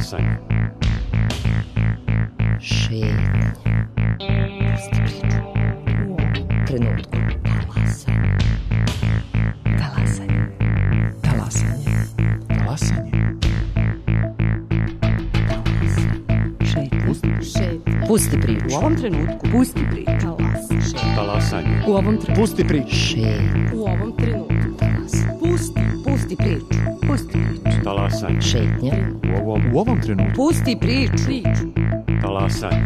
Talasanje. Šetnje. Pusti priču. U ovom trenutku. Talasanje. Talasanje. Talasanje. Talasanje. Pusti priču. U ovom trenutku. Pusti priču. Talasanje. U ovom trenutku. Pusti priču. Šetnje. U ovom trenutku. Pusti priču. Pusti priču. Talasanje. Šetnja. U ovom trenutku. Pusti priču. Talasanje.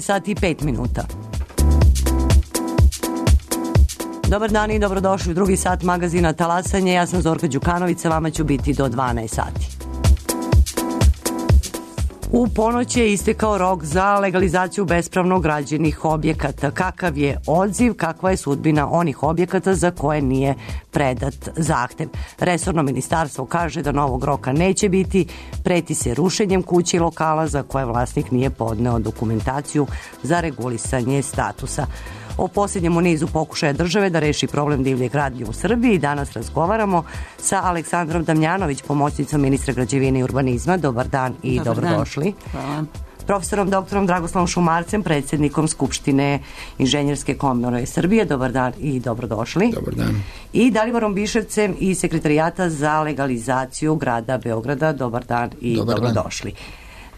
Sati i 5 minuta. Dobar dan i dobrodošli u drugi sat magazina Talasanje. Ja sam Zorka Đukanović, sa vama ću biti do 12 sati. U ponoć je istekao rok za legalizaciju bespravno građenih objekata. Kakav je odziv, kakva je sudbina onih objekata za koje nije predat zahtev? Resorno ministarstvo kaže da novog roka neće biti, preti se rušenjem kući i lokala za koje vlasnik nije podneo dokumentaciju za regulisanje statusa. O posljednjem u nizu pokušaja države da reši problem divlje gradnje u Srbiji danas razgovaramo sa Aleksandrom Damjanović, pomoćnicom ministra građevine i urbanizma. Dobar dan i dobrodošli. Hvala. Profesorom doktorom Dragoslavom Šumarcem, predsjednikom Skupštine Inženjerske komore Srbije. Dobar dan i dobrodošli. Dobar dan. I Daliborom Biševcem iz Sekretarijata za legalizaciju grada Beograda. Dobar dan i dobrodošli.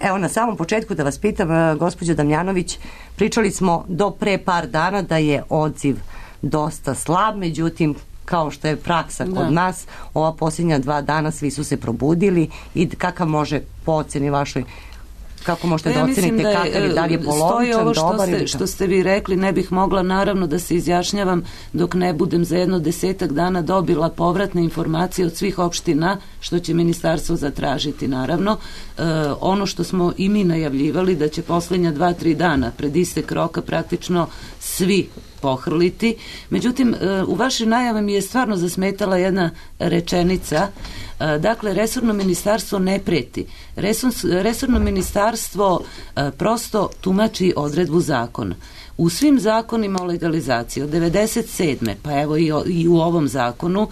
Evo, na samom početku da vas pitam, gospođo Damjanović, pričali smo do pre par dana da je odziv dosta slab, međutim, kao što je praksa kod nas, ova posljednja 2 dana svi su se probudili i kakav može po oceni vašoj, kako možete da ocenite kakav je, da li je polovičan, dobar ili što ste vi rekli, ne bih mogla naravno da se izjašnjavam dok ne budem za jedno 10 dana dobila povratne informacije od svih opština, što će ministarstvo zatražiti naravno. Ono što smo i mi najavljivali da će posljednja 2-3 dana pred istek roka praktično svi pohrliti. Međutim, u vašoj najavi mi je stvarno zasmetala jedna rečenica. Dakle, resorno ministarstvo ne preti. Resorno ministarstvo prosto tumači odredbu zakona. U svim zakonima o legalizaciji od 97. pa evo i u ovom zakonu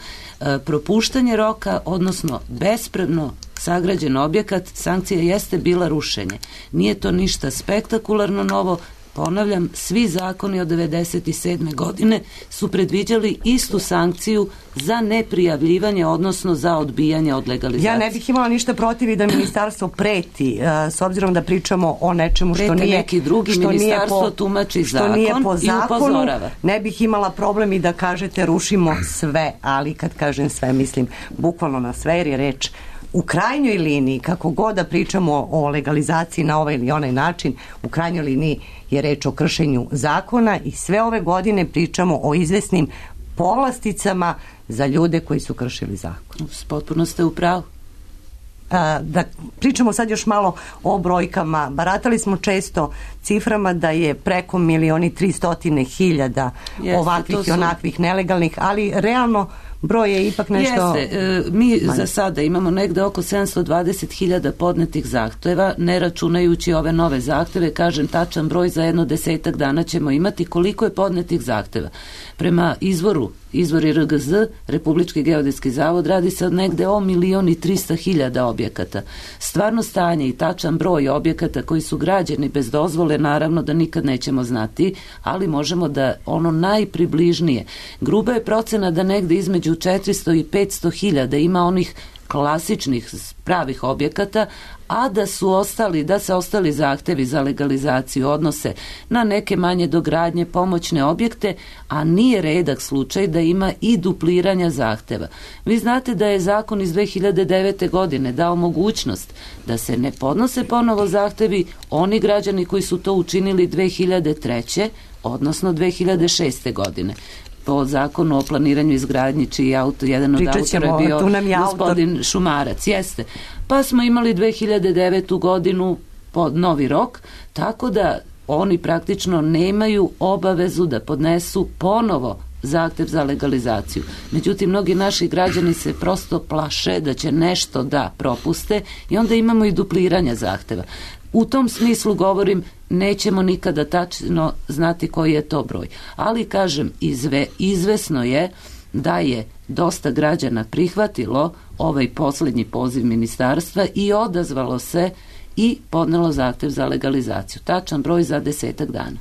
propuštanje roka, odnosno bespravno sagrađen objekat, sankcija jeste bila rušenje. Nije to ništa spektakularno novo. Ponavljam, svi zakoni od 97. godine su predviđali istu sankciju za neprijavljivanje, odnosno za odbijanje od legalizacije. Ja ne bih imala ništa protiv i da ministarstvo preti, s obzirom da pričamo o nečemu što nije neki drugi, ministarstvo tumači zakon i upozorava. Ne bih imala problem i da kažete rušimo sve, ali kad kažem sve mislim bukvalno na sve, jer je reč u krajnjoj liniji, kako god da pričamo o legalizaciji na ovaj ili onaj način, u krajnjoj liniji je reč o kršenju zakona i sve ove godine pričamo o izvesnim povlasticama za ljude koji su kršili zakon. Potpuno ste u pravu. Da pričamo sad još malo o brojkama. Baratali smo često ciframa da je preko 1.300.000 ovakvih i onakvih nelegalnih, ali realno broj je ipak nešto... Mi za sada imamo negde oko 720.000 podnetih zahteva, ne računajući ove nove zahteve, kažem tačan broj za jedno 10 dana ćemo imati. Koliko je podnetih zahteva? Prema izvori RGZ, Republički geodetski zavod, radi se od negde o 1.300.000 objekata. Stvarno stanje i tačan broj objekata koji su građeni bez dozvole, naravno da nikad nećemo znati, ali možemo da ono najpribližnije. Gruba je procena da negde između 400 i 500.000 ima onih klasičnih pravih objekata, a da se ostali zahtevi za legalizaciju odnose na neke manje dogradnje, pomoćne objekte, a nije redak slučaj da ima i dupliranja zahteva. Vi znate da je zakon iz 2009. godine dao mogućnost da se ne podnose ponovo zahtevi oni građani koji su to učinili 2003. odnosno 2006. godine. po zakonu o planiranju izgradnji, čiji jedan od autora je bio gospodin Šumarac. Jeste. Pa smo imali 2009. godinu pod novi rok, tako da oni praktično nemaju obavezu da podnesu ponovo zahtev za legalizaciju. Međutim, mnogi naši građani se prosto plaše da će nešto da propuste i onda imamo i dupliranje zahteva. U tom smislu govorim, nećemo nikada tačno znati koji je to broj. Ali, kažem, izvesno je da je dosta građana prihvatilo ovaj posljednji poziv ministarstva i odazvalo se i podnelo zahtev za legalizaciju. Tačan broj za 10 dana.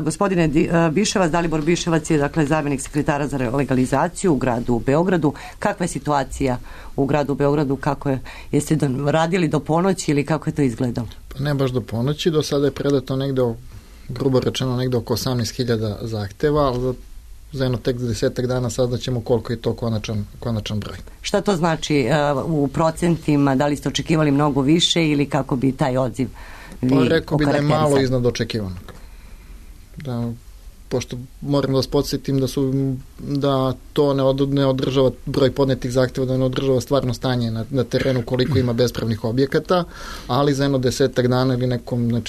Gospodine Biševac, Dalibor Biševac je dakle zamjenik sekretara za legalizaciju u gradu Beogradu. Kakva je situacija u gradu Beogradu? Kako je? Jeste radili do ponoći ili kako je to izgledalo? Pa ne baš do ponoći, do sada je predato negde, grubo rečeno, negde oko 18.000 zahteva, ali za jedno tek 10 dana saznaćemo koliko je to konačan broj. Šta to znači u procentima? Da li ste očekivali mnogo više ili kako bi taj odziv pa rekao bi da je malo iznad očekivanog. Da, pošto moram da vas podsjetim da to ne održava broj podnetih zahtjeva, da ne održava stvarno stanje na terenu koliko ima bespravnih objekata, ali za jedno 10 dana ili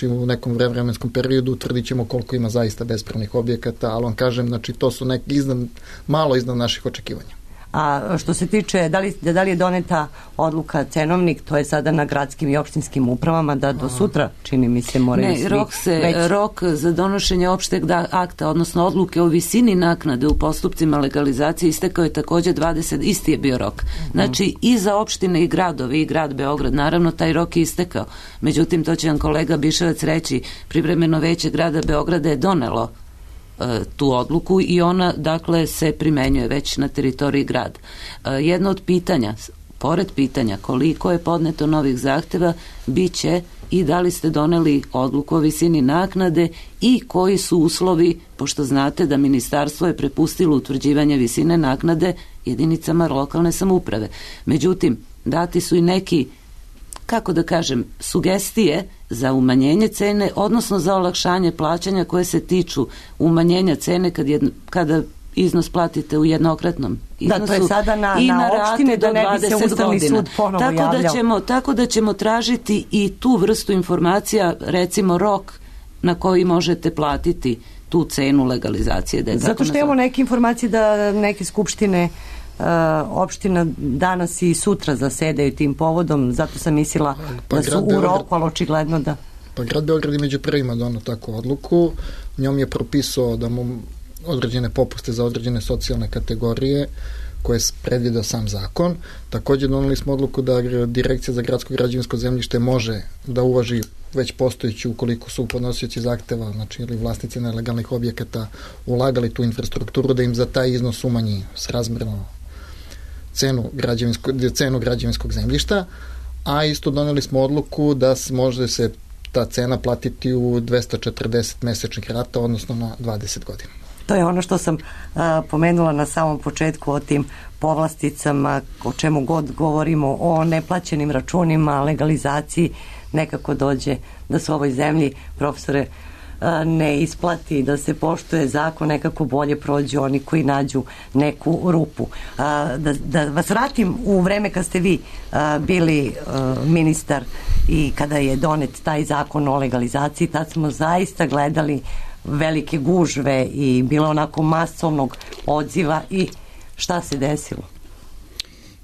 u nekom vremenskom periodu utvrdit ćemo koliko ima zaista bespravnih objekata, ali vam kažem, znači to su malo iznad naših očekivanja. A što se tiče, da li je doneta odluka cenovnik, to je sada na gradskim i opštinskim upravama, da do sutra, čini mi se, moraju svi... Rok za donošenje opšteg akta, odnosno odluke o visini naknade u postupcima legalizacije istekao je također 20, isti je bio rok. Znači, i za opštine i gradovi, i grad Beograd, naravno, taj rok je istekao. Međutim, to će vam kolega Biševac reći, privremeno veće grada Beograda je donelo tu odluku i ona, dakle, se primenjuje već na teritoriji grada. Jedno od pitanja, pored pitanja koliko je podneto novih zahteva, bit će i da li ste doneli odluku o visini naknade i koji su uslovi, pošto znate da ministarstvo je prepustilo utvrđivanje visine naknade jedinicama lokalne samouprave. Međutim, dati su i neki, kako da kažem, sugestije za umanjenje cene, odnosno za olakšanje plaćanja koje se tiču umanjenja cene kada iznos platite u jednokratnom iznosu. Da, to je sada na opštine da ne bi se Ustavni sud ponovo javljao. Tako da ćemo tražiti i tu vrstu informacija, recimo rok na koji možete platiti tu cenu legalizacije. Zato što imamo neke informacije da neke skupštine opština danas i sutra zasedaju tim povodom, zato sam mislila da su u roku, ali očigledno da... Pa grad Beograd je među prvima donao takvu odluku, njom je propisao da mu određene popuste za određene socijalne kategorije koje je predvideo sam zakon. Također doneli smo odluku da Direkcija za gradsko građevinsko zemljište može da uvaži već postojeći ukoliko su podnosioci zahteva, znači ili vlasnici nelegalnih objekata ulagali tu infrastrukturu, da im za taj iznos umanji srazmjerno cenu građevinskog zemljišta, a isto doneli smo odluku da može se ta cena platiti u 240 mesečnih rata, odnosno na 20 godina. To je ono što sam pomenula na samom početku o tim povlasticama, o čemu god govorimo, o neplaćenim računima, legalizaciji, nekako dođe da se u ovoj zemlji, profesore, ne isplati, da se poštuje zakon, nekako bolje prođu oni koji nađu neku rupu. Da vas vratim u vreme kad ste vi bili ministar i kada je donet taj zakon o legalizaciji, tad smo zaista gledali velike gužve i bilo onako masovnog odziva i šta se desilo?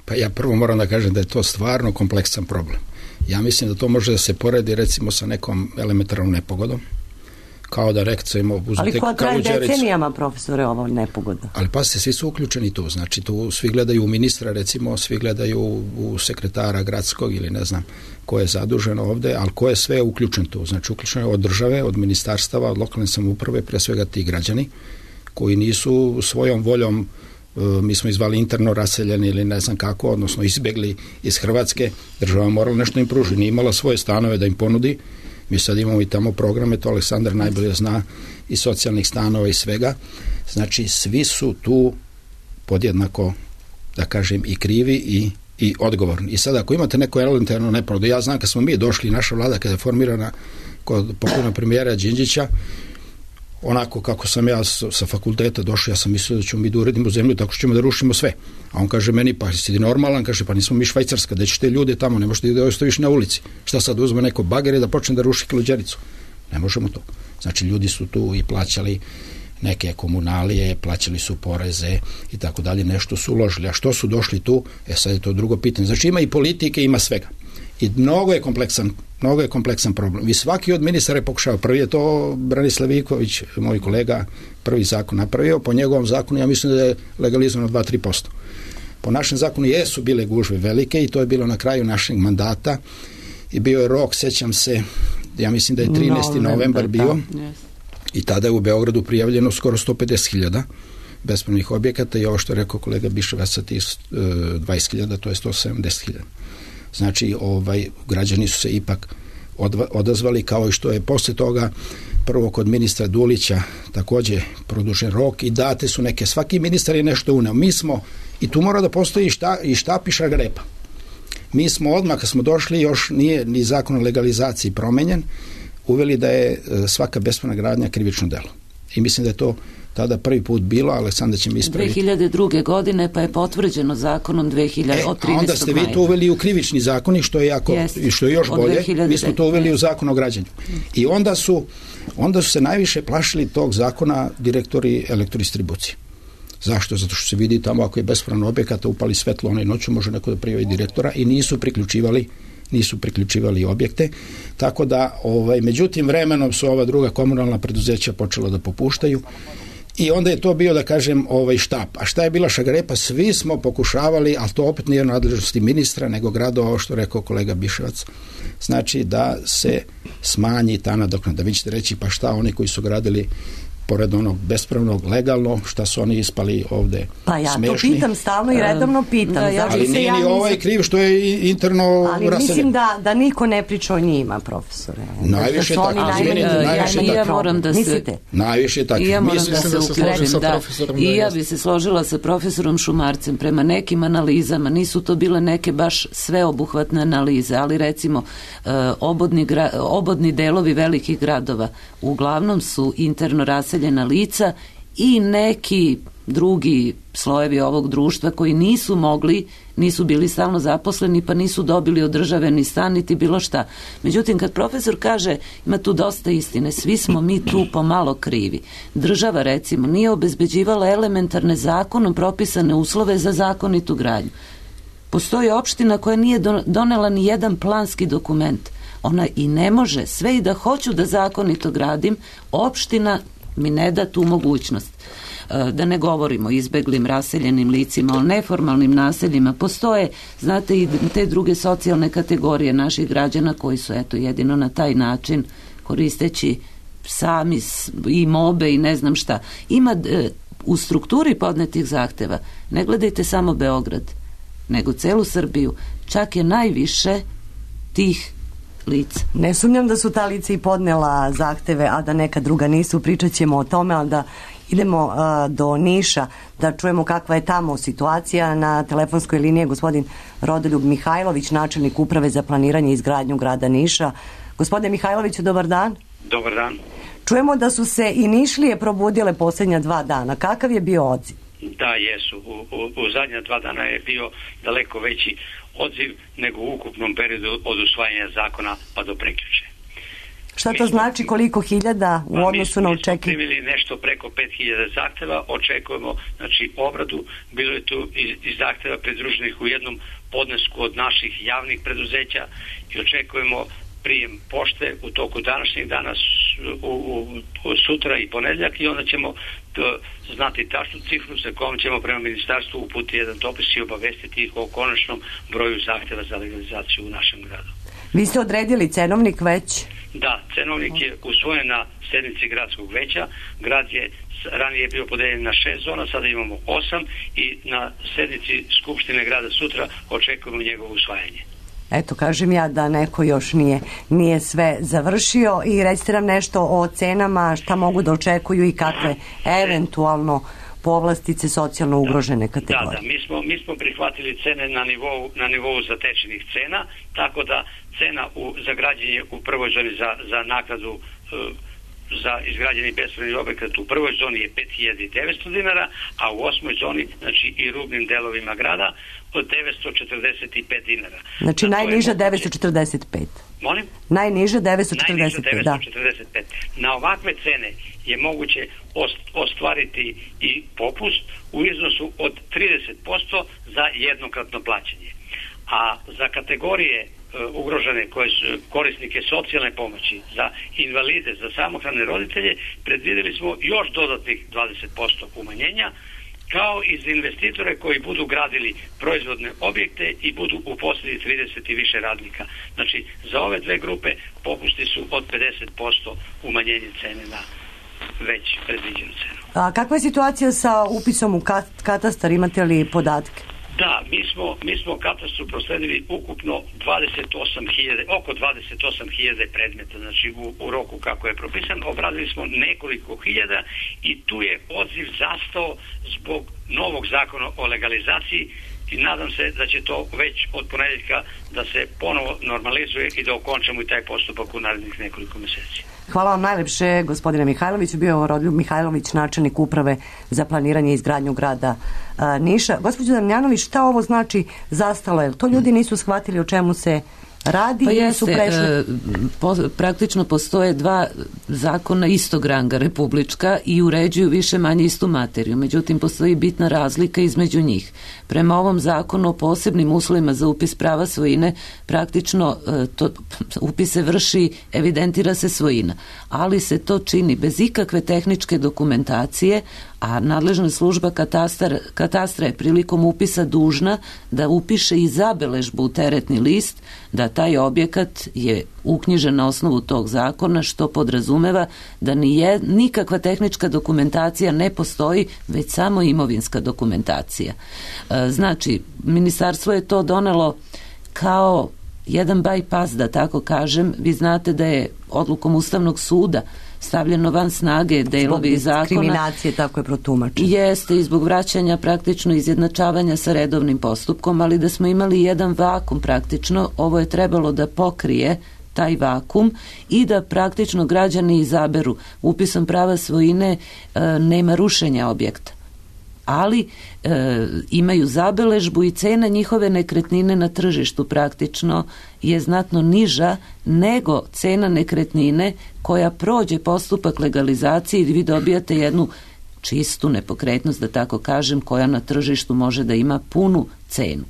Pa ja prvo moram da kažem da je to stvarno kompleksan problem. Ja mislim da to može da se poredi recimo sa nekom elementarnom nepogodom, kao da recimo... Ali koja traje decenijama, profesore, ovo nepogoda? Ali pasite, svi su uključeni tu, znači tu svi gledaju u ministra, recimo, svi gledaju u sekretara gradskog ili ne znam ko je zadužen ovde, ali ko je sve uključen tu, znači uključen od države, od ministarstava, od lokalne samouprave, pre svega ti građani, koji nisu svojom voljom, mi smo izvali interno raseljeni ili ne znam kako, odnosno izbjegli iz Hrvatske, država morala nešto im pruži, nije imala svoje stanove da im ponudi. Mi sad imamo i tamo programe, to Aleksandar najbolje zna, i socijalnih stanova i svega. Znači, svi su tu podjednako, da kažem, i krivi i odgovorni. I sad, ako imate neko elementarno nepogodu, ja znam kad smo mi došli, naša vlada kada je formirana kod pokojnog premijera Đinđića, onako kako sam ja sa fakulteta došao, ja sam mislio da ćemo mi da uredimo zemlju tako što ćemo da rušimo sve. A on kaže meni, pa si ti normalan, kaže, pa nismo mi Švajcarska, da ćeš te ljude tamo, ne možeš da ostaviš na ulici. Šta sad, uzme neko bagere da počne da ruši Kaluđericu? Ne možemo to. Znači, ljudi su tu i plaćali neke komunalije, plaćali su poreze i tako dalje, nešto su uložili. A što su došli tu? Sad je to drugo pitanje. Znači, ima i politike, ima svega. I mnogo je kompleksan problem. I svaki od ministara je pokušao. Prvi je to Branislav Ivković, moj kolega, prvi zakon napravio. Po njegovom zakonu ja mislim da je legalizovano 2-3%. Po našem zakonu jesu bile gužve velike i to je bilo na kraju našeg mandata i bio je rok, sećam se, ja mislim da je 13. novembar bio i tada je u Beogradu prijavljeno skoro 150.000 bespravnih objekata i ovo što je rekao kolega Biševac sa tih 20.000, to je 170.000. Znači, građani su se ipak odazvali, kao i što je posle toga prvo kod ministra Dulića takođe produžen rok i date su neke, svaki ministar je nešto uneo. Mi smo, i tu mora da postoji i štap i šargarepa. Mi smo odmah, kad smo došli, još nije ni zakon o legalizaciji promenjen, uveli da je svaka bespravna gradnja krivično delo. I mislim da je to tada prvi put bilo, Aleksandar će mi ispraviti. 2002. godine pa je potvrđeno zakonom 2013. A onda ste vi to uveli u krivični zakon što je što je još bolje, mi smo to uveli u zakon o građenju. I onda su se najviše plašili tog zakona direktori elektrodistribucije. Zašto? Zato što se vidi tamo ako je bespravno objekat, upali svetlo onaj noću, može neko da prijavi direktora i nisu priključivali objekte, tako da međutim vremenom su ova druga komunalna preduzeća počela da popuštaju i onda je to bio, da kažem, štap. A šta je bila šargarepa? Svi smo pokušavali, ali to opet nije nadležnosti ministra, nego gradova, što rekao kolega Biševac, znači da se smanji ta nadoknada. Vi ćete reći, pa šta oni koji su gradili pored onog bespravnog, legalno, šta su oni ispali ovde pa ja smešni. To pitam stalno i redovno pitam. Ali nije ni ovaj kriv što je interno raseljen. Ali mislim da niko ne priča o njima, profesore. Najviše tako. Najviše tako. I ja moram da se uključim. I ja bi se složila sa profesorom Šumarcem. Prema nekim analizama, nisu to bile neke baš sveobuhvatne analize, ali recimo obodni delovi velikih gradova uglavnom su interno raseljena lica i neki drugi slojevi ovog društva koji nisu bili stalno zaposleni pa nisu dobili od države ni stan niti bilo šta. Međutim, kad profesor kaže ima tu dosta istine, svi smo mi tu pomalo krivi. Država recimo nije obezbeđivala elementarne zakonom propisane uslove za zakonitu gradnju. Postoji opština koja nije donela ni jedan planski dokument. Ona i ne može, sve i da hoću da zakonito gradim, opština mi ne da tu mogućnost. Da ne govorimo o izbeglim raseljenim licima, o neformalnim naseljima. Postoje, znate, i te druge socijalne kategorije naših građana koji su, jedino na taj način, koristeći sami i mobe i ne znam šta. Ima u strukturi podnetih zahteva, ne gledajte samo Beograd, nego celu Srbiju, čak je najviše tih lica. Ne sumnjam da su ta lica i podnela zahteve, a da neka druga nisu. Pričat ćemo o tome, ali da idemo do Niša, da čujemo kakva je tamo situacija. Na telefonskoj liniji je gospodin Rodoljub Mihajlović, načelnik Uprave za planiranje i izgradnju grada Niša. Gospodine Mihajloviću, dobar dan. Dobar dan. Čujemo da su se i Nišlije probudile posljednja 2 dana. Kakav je bio odziv? Da, jesu. U zadnja 2 dana je bio daleko veći odziv nego u ukupnom periodu od usvajanja zakona pa do prekjuče. Šta to znači, koliko hiljada u odnosu na očekivanje? Mi smo primili nešto preko 5.000 zahteva, očekujemo obradu, bilo je tu i zahteva pridruženih u jednom podnesku od naših javnih preduzeća i očekujemo prijem pošte u toku današnjeg dana, sutra i ponedjeljak i onda ćemo znati tačnu cifru sa kojom ćemo prema ministarstvu uputiti jedan dopis i obavestiti ih o konačnom broju zahteva za legalizaciju u našem gradu. Vi ste odredili cenovnik već? Da, cenovnik je usvojen na sednici gradskog veća. Grad je ranije bio podeljen na 6 zona, sada imamo 8 i na sednici Skupštine grada sutra očekujemo njegovo usvajanje. Eto, kažem ja da neko još nije sve završio i recite nam nešto o cenama, šta mogu da očekuju i kakve eventualno povlastice socijalno ugrožene kategorije. Da, mi smo prihvatili cene na nivou zatečenih cena, tako da cena za građenje u prvoj zoni za naknadu za izgrađeni bespravni objekat u prvoj zoni je 5.900 dinara, a u 8. zoni, znači i rubnim delovima grada, od 945 dinara. Znači najniža 945. Molim? Najniža 945, najniža 945. da. Na ovakve cene je moguće ostvariti i popust u iznosu od 30% za jednokratno plaćanje. A za kategorije ugrožene koje su korisnike socijalne pomoći, za invalide, za samohrane roditelje, predvidjeli smo još dodatnih 20% umanjenja, kao i za investitore koji budu gradili proizvodne objekte i budu uposlili 30 i više radnika. Znači, za ove dve grupe popusti su od 50% umanjenje cene na već predviđenu cenu. A kakva je situacija sa upisom u katastar, imate li podatke? Da, mi smo katastru prosledili ukupno oko 28.000 predmeta, znači u roku kako je propisan, obradili smo nekoliko hiljada i tu je odziv zastao zbog novog zakona o legalizaciji i nadam se da će to već od ponedjeljka da se ponovo normalizuje i da okončamo i taj postupak u narednih nekoliko mjeseci. Hvala vam najlepše, gospodine Mihajloviću. Bio Rodoljub Mihajlović, načelnik uprave za planiranje i izgradnju grada Niša. Gospođo Damjanović, šta ovo znači zastalo? Jer to ljudi nisu shvatili o čemu se radi i su prešli? Praktično postoje dva zakona istog ranga republička i uređuju više manje istu materiju. Međutim, postoji bitna razlika između njih. Prema ovom zakonu o posebnim uslovima za upis prava svojine, praktično upis se vrši, evidentira se svojina, ali se to čini bez ikakve tehničke dokumentacije, a nadležna služba katastra je prilikom upisa dužna da upiše i zabeležbu u teretni list da taj objekat je uknjižen na osnovu tog zakona, što podrazumeva da nikakva tehnička dokumentacija ne postoji, već samo imovinska dokumentacija. Znači, ministarstvo je to donelo kao jedan bypass, da tako kažem. Vi znate da je odlukom Ustavnog suda stavljeno van snage delovi zakona. Zbog diskriminacije, tako je protumačeno. Jeste, i zbog vraćanja praktično izjednačavanja sa redovnim postupkom, ali da smo imali jedan vakum praktično, ovo je trebalo da pokrije taj vakum i da praktično građani izaberu. Upisom prava svojine nema rušenja objekta, ali imaju zabeležbu i cena njihove nekretnine na tržištu praktično je znatno niža nego cena nekretnine koja prođe postupak legalizacije i vi dobijate jednu čistu nepokretnost, da tako kažem, koja na tržištu može da ima punu cenu.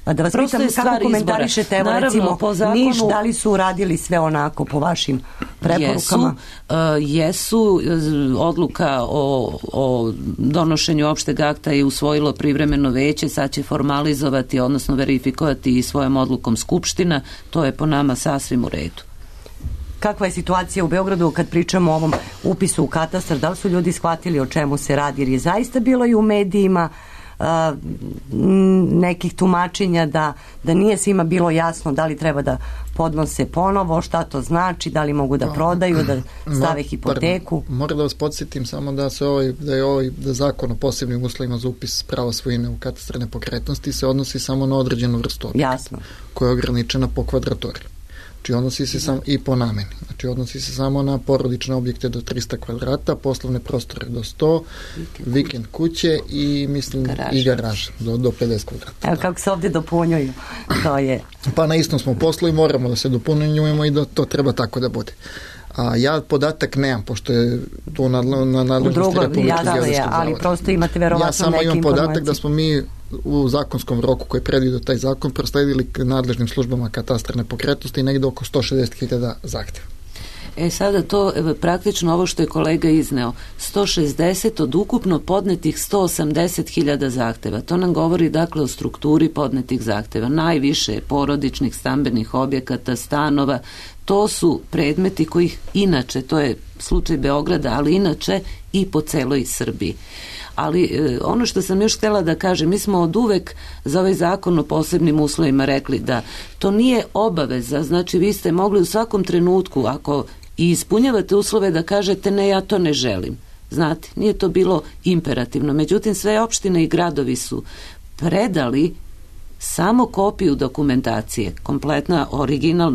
A da vas pitam kako komentarišete, evo recimo Niš, da li su uradili sve onako po vašim preporukama? Jesu, odluka o donošenju opšteg akta je usvojilo privremeno veće, sad će formalizovati, odnosno verifikovati i svojom odlukom Skupština, to je po nama sasvim u redu. Kakva je situacija u Beogradu kad pričamo o ovom upisu u katastar? Da li su ljudi shvatili o čemu se radi? Jer je zaista bilo i u medijima nekih tumačenja da nije svima bilo jasno da li treba da podnose ponovo, šta to znači, da li mogu da prodaju, da stave hipoteku. Moram da vas podsjetim samo da je zakon o posebnim uslovima za upis prava svojine u katastar nepokretnosti se odnosi samo na određenu vrstu objekta. Jasno. Koja je ograničena po kvadraturi. Znači odnosi se samo i po nameni. Znači odnosi se samo na porodične objekte do 300 kvadrata, poslovne prostore do 100, vikend kuće i mislim i garaže do 50 kvadrata. Evo kako se ovdje dopunjuju. To je. Pa na istom smo poslu i moramo da se dopunjujemo i da to treba tako da bude. A ja podatak nemam, pošto je to na nadležnosti Republičkog geodetskog zavoda. Ali prosto imate verovatno neke informacije. Ja samo imam podatak da smo mi u zakonskom roku koji je predvidio taj zakon prosledili nadležnim službama katastra nepokretnosti negde oko 160.000 zahtjeva. Sada to praktično ovo što je kolega izneo, 160 od ukupno podnetih 180.000 zahteva. To nam govori dakle o strukturi podnetih zahteva. Najviše porodičnih stambenih objekata, stanova, to su predmeti kojih inače, to je slučaj Beograda, ali inače i po celoj Srbiji. Ali ono što sam još htjela da kažem, mi smo od uvek za ovaj zakon o posebnim uslovima rekli da to nije obaveza, znači vi ste mogli u svakom trenutku, ako i ispunjavate uslove, da kažete ne, ja to ne želim. Znate, nije to bilo imperativno. Međutim, sve opštine i gradovi su predali samo kopiju dokumentacije, kompletna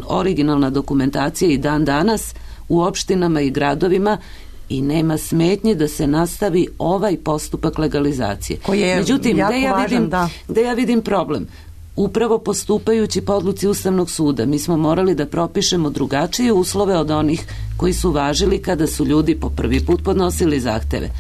originalna dokumentacija i dan danas u opštinama i gradovima i nema smetnje da se nastavi ovaj postupak legalizacije. Međutim, gde ja vidim problem? Upravo postupajući po odluci Ustavnog suda, mi smo morali da propišemo drugačije uslove od onih koji su važili kada su ljudi po prvi put podnosili zahteve.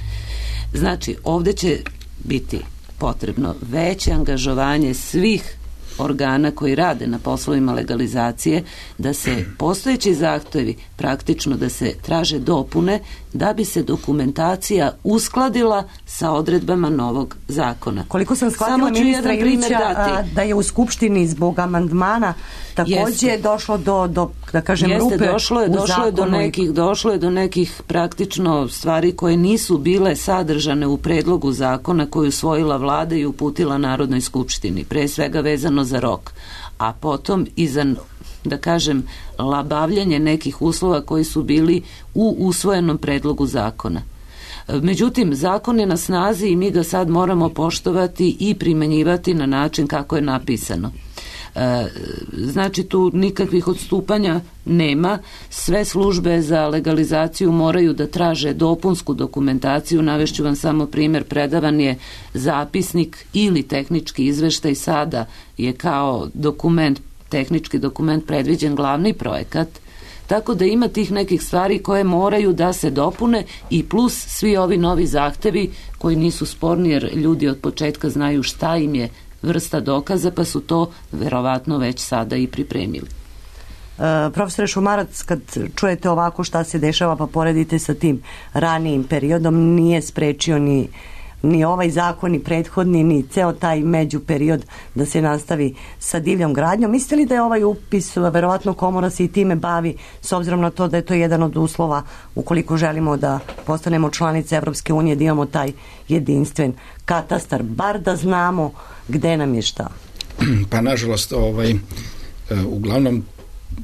Znači, ovde će biti potrebno veće angažovanje svih organa koji rade na poslovima legalizacije, da se postojeći zahtevi praktično da se traže dopune da bi se dokumentacija uskladila sa odredbama novog zakona. Koliko sam shvatila ministra Ilića da je u Skupštini zbog amandmana takođe došlo do da kažem rupe u zakonu. Došlo je do nekih praktično stvari koje nisu bile sadržane u predlogu zakona koju usvojila vlada i uputila Narodnoj skupštini, pre svega vezano za rok, a potom i za, da kažem, labavljanje nekih uslova koji su bili u usvojenom predlogu zakona. Međutim, zakon je na snazi i mi ga sad moramo poštovati i primenjivati na način kako je napisano. Znači, tu nikakvih odstupanja nema. Sve službe za legalizaciju moraju da traže dopunsku dokumentaciju. Navešću vam samo primjer, predavan je zapisnik ili tehnički izveštaj, sada je kao dokument, tehnički dokument predviđen glavni projekat, tako da ima tih nekih stvari koje moraju da se dopune i plus svi ovi novi zahtevi koji nisu sporni jer ljudi od početka znaju šta im je vrsta dokaza, pa su to verovatno već sada i pripremili. Profesore Šumarac, kad čujete ovako šta se dešava pa poredite sa tim ranijim periodom, nije sprečio ni ovaj zakon, ni prethodni, ni ceo taj međuperiod da se nastavi sa divljom gradnjom. Mislite li da je ovaj upis, verovatno komora se i time bavi, s obzirom na to da je to jedan od uslova ukoliko želimo da postanemo članice Evropske unije, da imamo taj jedinstven katastar, bar da znamo gde nam je šta? Pa nažalost, uglavnom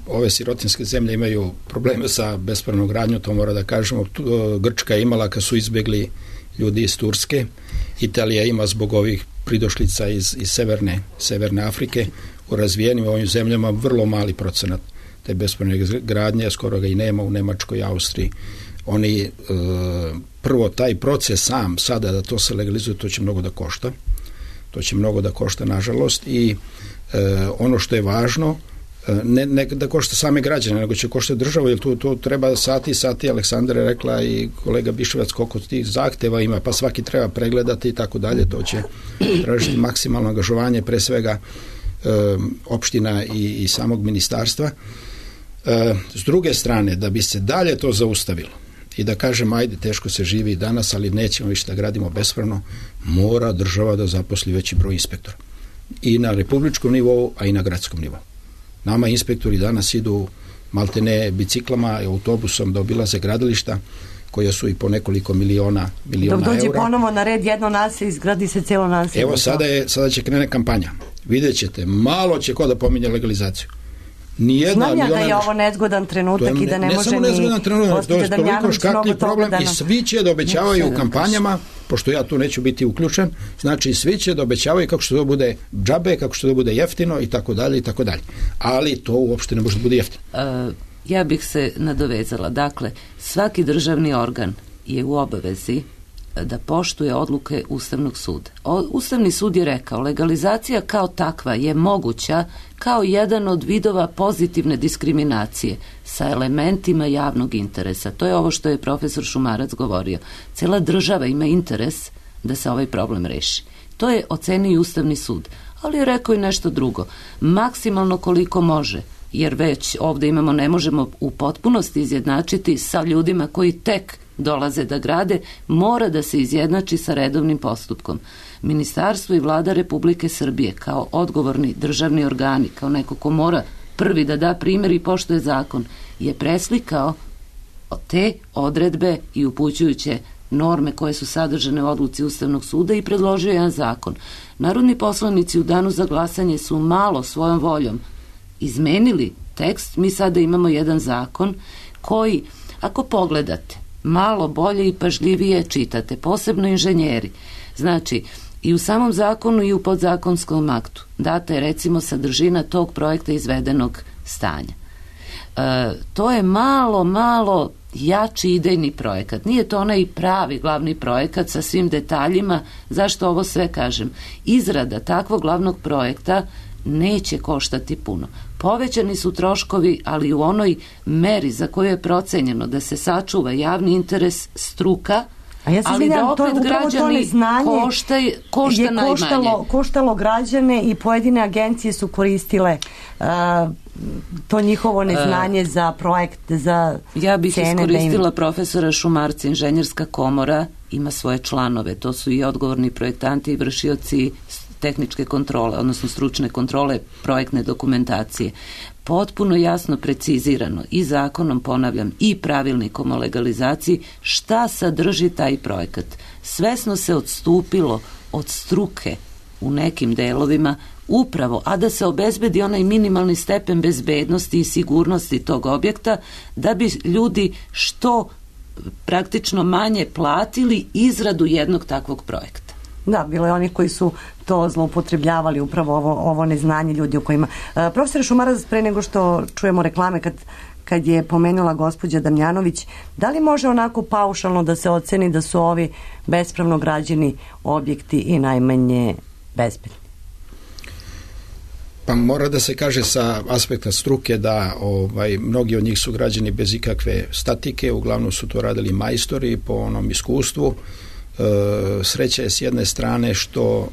ove sirotinske zemlje imaju probleme sa bespravnom gradnjom, to mora da kažemo. Grčka je imala kad su izbjegli ljudi iz Turske, Italija ima zbog ovih pridošlica iz Severne Afrike. U razvijenim ovim zemljama vrlo mali procenat te bespravne gradnje, skoro ga i nema u Nemačkoj, Austriji. Oni prvo taj proces sam sada da to se legalizuje, to će mnogo da košta. To će mnogo da košta, nažalost, i ono što je važno, ne da košta same građane, nego će košta državu, jer tu treba sati, Aleksandra je rekla i kolega Biševac koliko tih zahteva ima, pa svaki treba pregledati i tako dalje, to će tražiti maksimalno angažovanje, pre svega opština i samog ministarstva. S druge strane, da bi se dalje to zaustavilo i da kažem, ajde, teško se živi danas, ali nećemo više da gradimo bespravno, mora država da zaposli veći broj inspektora. I na republičkom nivou, a i na gradskom nivou. Nama inspektori danas idu maltene biciklama i autobusom da obilaze gradilišta koja su i po nekoliko miliona eura. Dok dođe ponovo na red jedno naselje, izgradi se cijelo naselje. Evo sada će krene kampanja. Vidjet ćete, malo će ko da pominje legalizaciju. Znam ja da je ovo nezgodan trenutak i da ne može ni gospođa Damjanović mnogo toga da nam... I svi će da obećavaju u kampanjama, pošto ja tu neću biti uključen, znači svi će da obećavaju kako što to bude džabe, kako što to bude jeftino i tako dalje i tako dalje. Ali to uopšte ne može da bude jeftino. Ja bih se nadovezala. Dakle, svaki državni organ je u obavezi da poštuje odluke Ustavnog suda. Ustavni sud je rekao, legalizacija kao takva je moguća kao jedan od vidova pozitivne diskriminacije sa elementima javnog interesa. To je ovo što je profesor Šumarac govorio. Cela država ima interes da se ovaj problem reši. To je ocenio i Ustavni sud. Ali je rekao i nešto drugo. Maksimalno koliko može, jer već ovde imamo, ne možemo u potpunosti izjednačiti sa ljudima koji tek dolaze da grade, mora da se izjednači sa redovnim postupkom. Ministarstvo i vlada Republike Srbije kao odgovorni državni organi, kao neko ko mora prvi da da primjer i poštuje zakon, je preslikao te odredbe i upućujuće norme koje su sadržane u odluci Ustavnog suda i predložio jedan zakon. Narodni poslanici u danu za glasanje su malo svojom voljom izmenili tekst. Mi sada imamo jedan zakon koji, ako pogledate, malo bolje i pažljivije čitate, posebno inženjeri. Znači, i u samom zakonu i u podzakonskom aktu data je recimo sadržina tog projekta izvedenog stanja. To je malo jači idejni projekat. Nije to onaj pravi glavni projekat sa svim detaljima. Zašto ovo sve kažem? Izrada takvog glavnog projekta neće koštati puno. Povećani su troškovi, ali u onoj meri za koju je procenjeno da se sačuva javni interes, struka, ali da opet građani košta najmanje. Koštalo građane i pojedine agencije su koristile to njihovo neznanje za projekt, za cene. Ja bih iskoristila profesora Šumarca, Inženjerska komora ima svoje članove, to su i odgovorni projektanti i vršioci tehničke kontrole, odnosno stručne kontrole projektne dokumentacije. Potpuno jasno precizirano i zakonom, ponavljam, i pravilnikom o legalizaciji šta sadrži taj projekat. Svesno se odstupilo od struke u nekim delovima upravo, a da se obezbedi onaj minimalni stepen bezbednosti i sigurnosti tog objekta, da bi ljudi što praktično manje platili izradu jednog takvog projekta. Da, bilo je onih koji su to zloupotrebljavali, upravo ovo neznanje ljudi o kojima... Profesor Šumarac, pre nego što čujemo reklame, kad je pomenula gospođa Damjanović, da li može onako paušalno da se oceni da su ovi bespravno građeni objekti i najmanje bezbedni? Pa mora da se kaže sa aspekta struke da mnogi od njih su građeni bez ikakve statike, uglavnom su to radili majstori po onom iskustvu. Sreća je s jedne strane što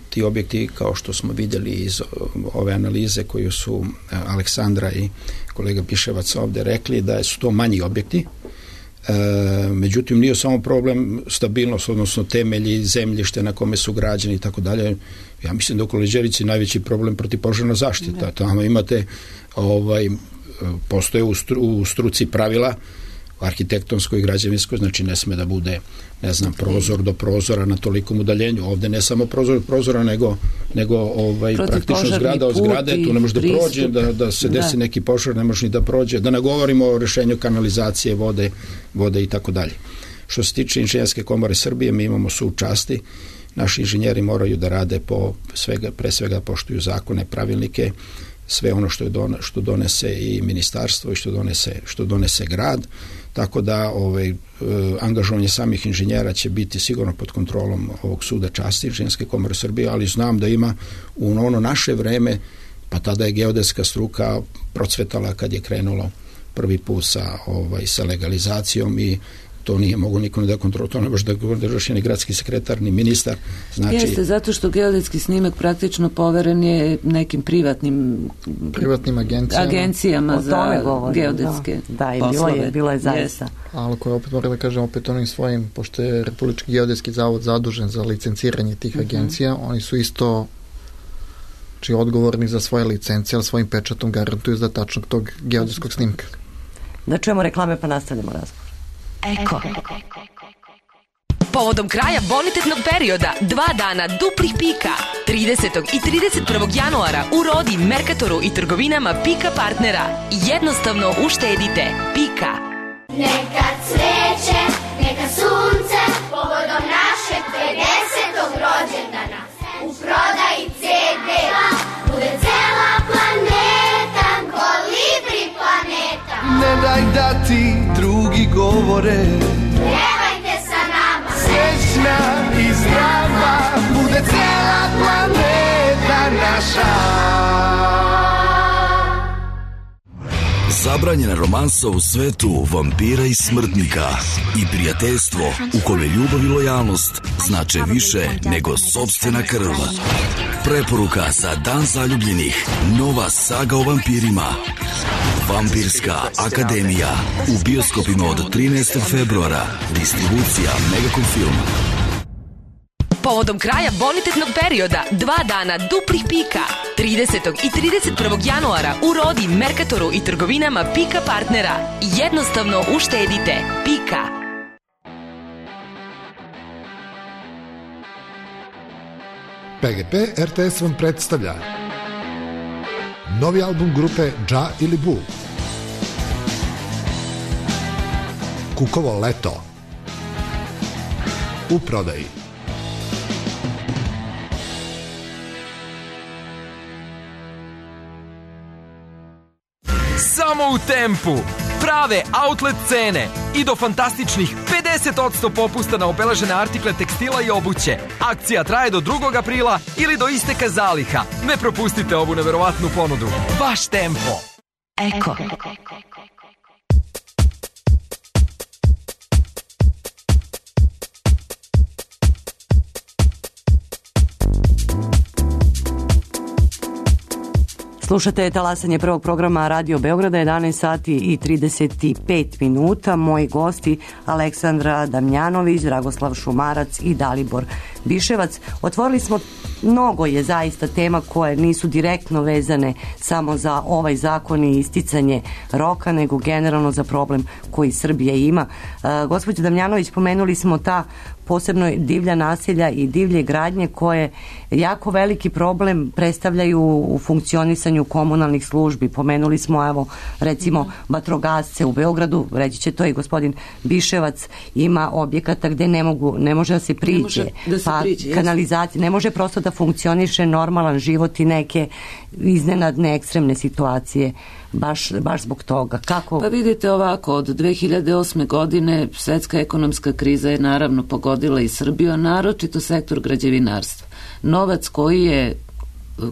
ti objekti, kao što smo vidjeli iz ove analize koju su Aleksandra i kolega Piševac ovdje rekli, da su to manji objekti. Međutim, nije samo problem stabilnost, odnosno temelji, zemljište na kome su građeni i tako dalje. Ja mislim da u Kolođerici najveći problem protivpožarna zaštita. Tamo imate, postoje u struci pravila arhitektonsko i građevinsko, znači ne sme da bude, ne znam, prozor do prozora na tolikom udaljenju. Ovde ne samo prozor do prozora, nego praktično zgrada od zgrade, tu ne može da prođe, da se desi neki požar, ne može ni da prođe, da ne govorimo o rešenju kanalizacije, vode i tako dalje. Što se tiče Inženjerske komore Srbije, mi imamo sud časti, naši inženjeri moraju da rade pre svega poštuju zakone, pravilnike, sve ono što donese i ministarstvo i što donese grad, tako da angažovanje samih inženjera će biti sigurno pod kontrolom ovog suda časti Inženjerske komore Srbije, ali znam da ima u ono naše vreme, pa tada je geodetska struka procvetala kad je krenulo prvi put sa legalizacijom i to nije mogo niko da kontrolu, to ne može da drži ni gradski sekretar, ni ministar. Znači, jeste, zato što geodetski snimak praktično poveren je nekim privatnim agencijama za geodetske poslove. Bilo je zaista. Ali koje opet moram da kažem, opet onim svojim, pošto je Republički geodetski zavod zadužen za licenciranje tih agencija, oni su isto odgovorni za svoje licence, ali svojim pečatom garantuju za tačnog tog geodetskog snimka. Da čujemo reklame pa nastavljamo razgovor. Eko. Povodom kraja bonitetnog perioda 2 dana duplih pika 30. i 31. januara u Rodi, Merkatoru i trgovinama Pika partnera. Jednostavno uštedite. Pika. Neka cveće, neka sunce povodom našeg 50. rođendana u prodaji CD-a bude cela planeta, Kolibri planeta. Ne daj da ti drugi govore, pjevajte sa nama, srećna i zdrava bude cela planeta naša. Zabranjena romansa u svetu vampira i smrtnika i prijateljstvo u kome ljubav i lojalnost znače više nego sopstvena krv. Preporuka za Dan zaljubljenih, nova saga o vampirima. Vampirska akademija u bioskopima od 13. februara. Distribucija Megacom Film. Povodom kraja bonitetnog perioda 2 dana duplih pika 30. i 31. januara u Rodi, Merkatoru i trgovinama Pika partnera. Jednostavno uštedite. Pika. PGP RTS vam predstavlja novi album grupe Dža ili Bu, Kukovo leto, u prodaji. samo u Tempu. Prave outlet cene i do fantastičnih 50% popusta na obeležene artikle tekstila i obuće. Akcija traje do 2. aprila ili do isteka zaliha. Ne propustite ovu neverovatnu ponudu. Baš Tempo. Eko. Slušate talasanje prvog programa Radio Beograda, 11 sati i 35 minuta. Moji gosti Aleksandra Damjanović, Dragoslav Šumarac i Dalibor Biševac. Otvorili smo, mnogo je zaista tema koje nisu direktno vezane samo za ovaj zakon i isticanje roka, nego generalno za problem koji Srbija ima. Gospođo Damjanović, pomenuli smo ta posebno divlja naselja i divlje gradnje koje jako veliki problem predstavljaju u funkcionisanju komunalnih službi. Pomenuli smo, evo, recimo vatrogasce u Beogradu, reći će to i gospodin Biševac, ima objekata gde ne može da se priđe, kanalizacija, ne može prosto da funkcioniše normalan život i neke iznenadne ekstremne situacije. Baš zbog toga. Kako? Pa vidite ovako, od 2008. godine svetska ekonomska kriza je naravno pogodila i Srbiju, a naročito sektor građevinarstva. Novac koji je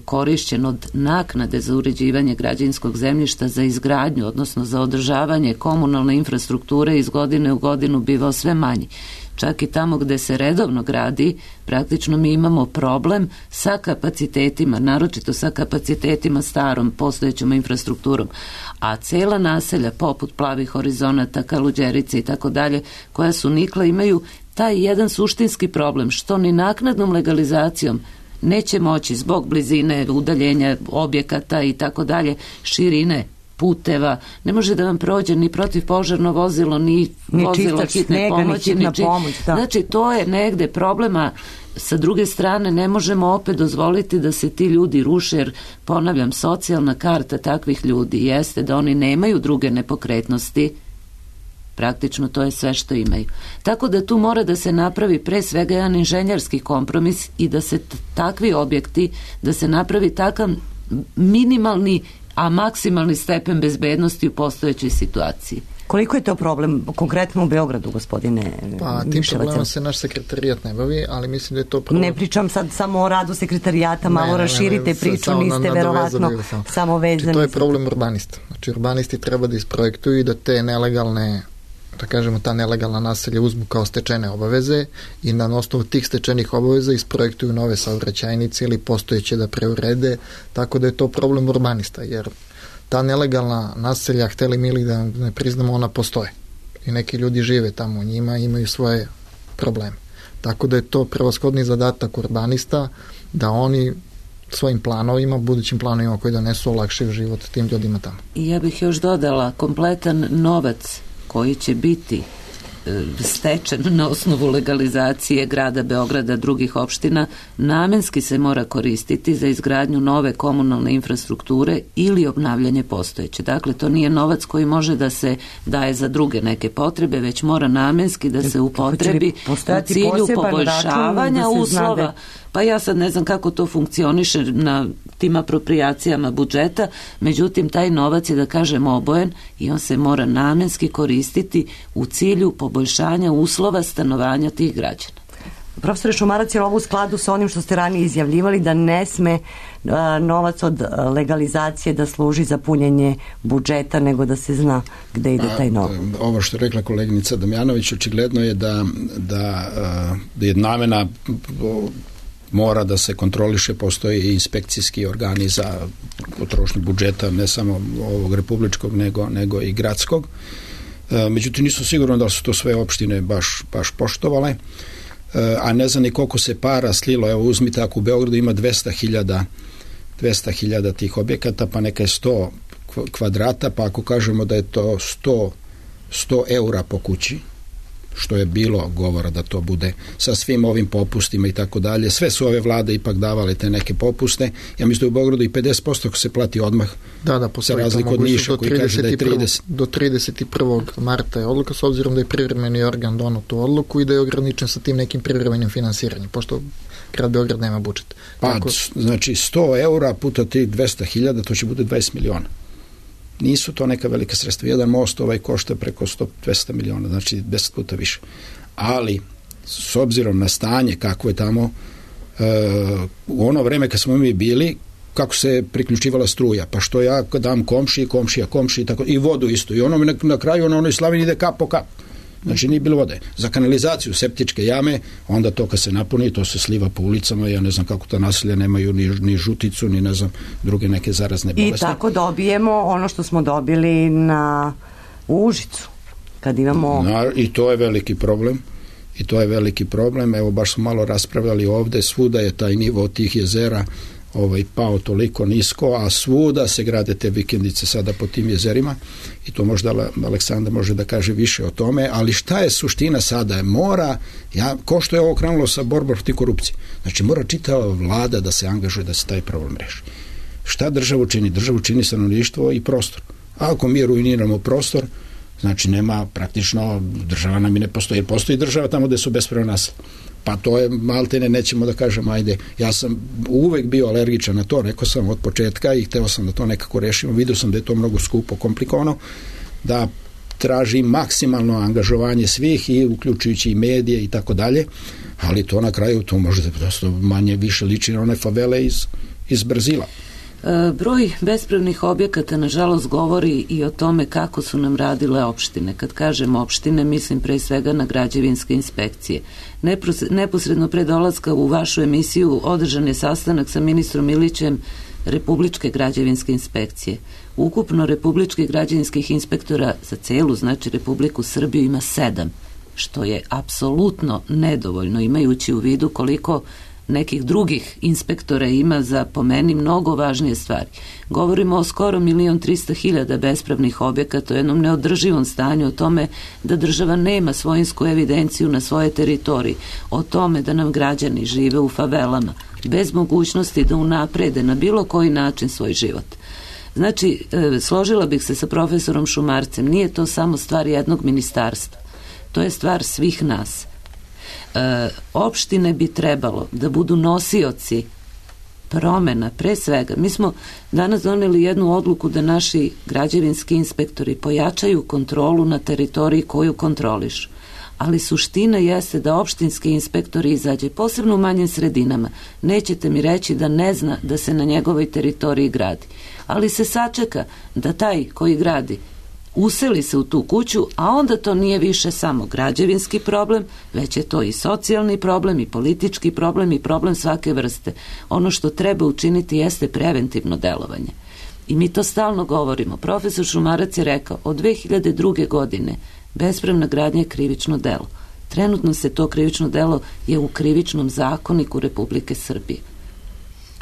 korišćen od naknade za uređivanje građevinskog zemljišta za izgradnju, odnosno za održavanje komunalne infrastrukture iz godine u godinu bivao sve manji. Čak i tamo gde se redovno gradi, praktično mi imamo problem sa kapacitetima, naročito sa kapacitetima starom, postojećom infrastrukturom. A cela naselja, poput Plavih horizonata, Kaluđerice i tako dalje, koja su nikla, imaju taj jedan suštinski problem, što ni naknadnom legalizacijom neće moći zbog blizine, udaljenja objekata i tako dalje, širine puteva, ne može da vam prođe ni protivpožarno vozilo, ni vozilo hitne pomoći, ni pomoć. Znači, to je negde problema. Sa druge strane, ne možemo opet dozvoliti da se ti ljudi ruše, jer, ponavljam, socijalna karta takvih ljudi jeste da oni nemaju druge nepokretnosti, praktično to je sve što imaju. Tako da tu mora da se napravi pre svega jedan inženjerski kompromis i da se takvi objekti, da se napravi takav minimalni, a maksimalni stepen bezbednosti u postojećoj situaciji. Koliko je to problem konkretno u Beogradu, gospodine Pa tim problemom se naš sekretarijat ne bavi, ali mislim da je to problem. Ne pričam sad samo o radu sekretarijata, malo raširite priču, niste verovatno samo vezani. To je problem urbanista. Znači urbanisti treba da isprojektuju i da te nelegalne, da kažemo, ta nelegalna naselja uzmu kao stečene obaveze i na osnovu tih stečenih obaveza isprojektuju nove saobraćajnice ili postojeće da preurede, tako da je to problem urbanista, jer ta nelegalna naselja, hteli mi ili da ne priznamo, ona postoje i neki ljudi žive tamo u njima, imaju svoje probleme. Tako da je to prevashodni zadatak urbanista da oni svojim planovima, budućim planovima koji donesu, olakšaju život tim ljudima tamo. I ja bih još dodala, kompletan novac koji će biti stečen na osnovu legalizacije grada Beograda, drugih opština, namenski se mora koristiti za izgradnju nove komunalne infrastrukture ili obnavljanje postojeće. Dakle, to nije novac koji može da se daje za druge neke potrebe, već mora namenski da se upotrebi u cilju poboljšavanja uslova. Pa ja sad ne znam kako to funkcioniše na tim apropriacijama budžeta, međutim taj novac je, da kažem, obojen i on se mora namenski koristiti u cilju poboljšanja uslova stanovanja tih građana. Profesore Šumarac, je ovo u skladu sa onim što ste ranije izjavljivali, da ne sme novac od legalizacije da služi za punjenje budžeta, nego da se zna gde ide taj novac? Ovo što je rekla koleginica Damjanović, očigledno je da je namena mora da se kontroliše, postoji i inspekcijski organi za potrošnju budžeta, ne samo ovog republičkog, nego i gradskog. Međutim, nisu sigurno da su to sve opštine baš poštovale, a ne znam ni koliko se para slilo. Evo, uzmite, ako u Beogradu ima 200.000 tih objekata, pa neka je 100 kvadrata, pa ako kažemo da je to 100 eura po kući, što je bilo govora da to bude sa svim ovim popustima i tako dalje. Sve su ove vlade ipak davale te neke popuste. Ja mislim da u Beogradu i 50% ako se plati odmah. Da, se razliku od Niša koji kaže da je 30. Do 31. marta je odluka, s obzirom da je privremeni organ donao tu odluku i da je ograničen sa tim nekim privremenim finansiranjem, pošto grad Beograd nema budžet. Pa, znači 100 eura puta tih 200.000, to će bude 20 miliona. nisu to neka velika sredstva. Jedan most košta preko 200 miliona, znači 10 puta više. Ali, s obzirom na stanje kako je tamo, u ono vreme kad smo mi bili, kako se priključivala struja, pa što ja dam komšiji, tako, i vodu isto. I ono na kraju na onoj slavini ide kap po kap. Znači nije bilo vode. Za kanalizaciju, septičke jame, onda to kad se napuni, to se sliva po ulicama, ja ne znam kako ta naselja nemaju ni žuticu, ni ne znam druge neke zarazne bolesti. I tako dobijemo ono što smo dobili u Užicu, kad imamo... I to je veliki problem. Evo, baš smo malo raspravljali ovde, svuda je taj nivo tih jezera pao toliko nisko, a svuda se grade te vikendice sada po tim jezerima i to možda Aleksandar može da kaže više o tome, ali šta je suština sada? Ko što je ovo krenulo sa borbom protiv korupcije, znači mora čitava vlada da se angažuje da se taj problem reši. Šta državu čini? Državu čini stanovništvo i prostor. A ako mi ruiniramo prostor, znači nema praktično, država nam i ne postoji, jer postoji država tamo gde su bespravno naselje. Pa to je maltene, nećemo da kažemo, ajde, ja sam uvek bio alergičan na to, rekao sam od početka i hteo sam da to nekako rešimo, vidio sam da je to mnogo skupo, komplikovano, da traži maksimalno angažovanje svih i uključujući i medije i tako dalje, ali to na kraju, to možete prosto manje više liči na one favele iz Brazila. Broj bespravnih objekata nažalost govori i o tome kako su nam radile opštine. Kad kažem opštine, mislim pre svega na građevinske inspekcije. Neposredno pre dolaska u vašu emisiju održan je sastanak sa ministrom Ilićem Republičke građevinske inspekcije. Ukupno republičkih građevinskih inspektora za celu, znači Republiku Srbiju, ima 7, što je apsolutno nedovoljno, imajući u vidu koliko nekih drugih inspektora ima za, po meni, mnogo važnije stvari. Govorimo o skoro 1.300.000 bespravnih objekata, o jednom neodrživom stanju, o tome da država nema svojinsku evidenciju na svoje teritoriji, o tome da nam građani žive u favelama, bez mogućnosti da unaprede na bilo koji način svoj život. Znači, složila bih se sa profesorom Šumarcem, nije to samo stvar jednog ministarstva, to je stvar svih nas. Opštine bi trebalo da budu nosioci promena, pre svega. Mi smo danas doneli jednu odluku da naši građevinski inspektori pojačaju kontrolu na teritoriji koju kontroliš. Ali suština jeste da opštinski inspektori izađe, posebno u manjim sredinama. Nećete mi reći da ne zna da se na njegovoj teritoriji gradi. Ali se sačeka da taj koji gradi useli se u tu kuću, a onda to nije više samo građevinski problem, već je to i socijalni problem, i politički problem, i problem svake vrste. Ono što treba učiniti jeste preventivno delovanje. I mi to stalno govorimo. Profesor Šumarac je rekao, od 2002. godine bespravna gradnja je krivično delo. Trenutno se to krivično delo je u Krivičnom zakoniku Republike Srbije.